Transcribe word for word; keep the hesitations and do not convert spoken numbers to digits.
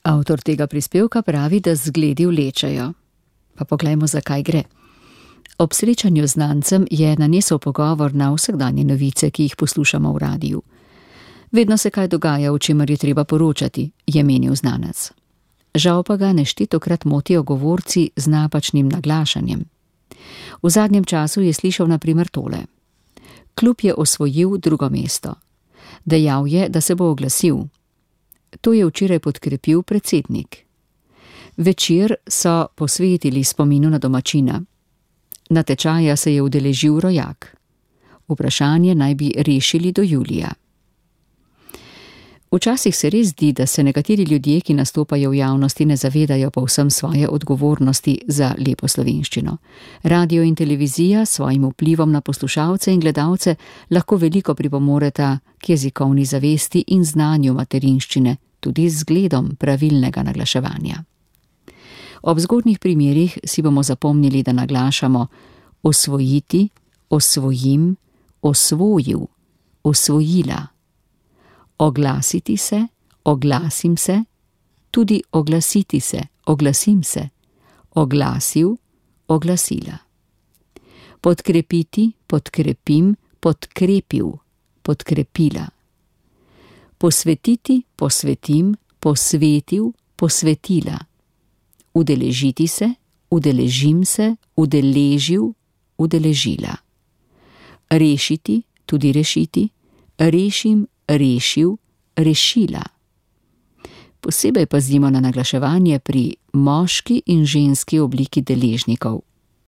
Avtor tega prispevka pravi, da zgledi vlečejo. Pa poglejmo, zakaj gre. Ob srečanju z znancem je nanesel pogovor na vsakdanje novice, ki jih poslušamo v radiju. Vedno se kaj dogaja, o čemer je treba poročati, je menil znanec. Žal pa ga neštetokrat motijo govorci z napačnim naglašanjem. V zadnjem času je slišal na primer tole. Klub je osvojil drugo mesto. Dejal je, da se bo oglasil. To je včeraj podkrepil predsednik. Večer so posvetili spominu na domačina. Natečaja se je udeležil rojak. Vprašanje naj bi rešili do julija. Včasih se res zdi, da se nekateri ljudje, ki nastopajo v javnosti, ne zavedajo povsem svoje odgovornosti za lepo slovenščino. Radio in televizija s svojim vplivom na poslušalce in gledalce lahko veliko pripomoreta k jezikovni zavesti in znanju materinščine, tudi z zgledom pravilnega naglaševanja. Ob zgodnjih primerih si bomo zapomnili, da naglašamo osvojiti, osvojim, osvojil, osvojila. Oglasiti se, oglasim se, tudi oglasiti se, oglasim se, oglasil, oglasila. Podkrepiti, podkrepim, podkrepil, podkrepila. Posvetiti, posvetim, posvetil, posvetila. Udeležiti se, udeležim se, udeležil, udeležila. Rešiti, tudi rešiti, rešim, rešil, rešila. Posebej pazimo na naglaševanje pri moški in ženski obliki deležnikov.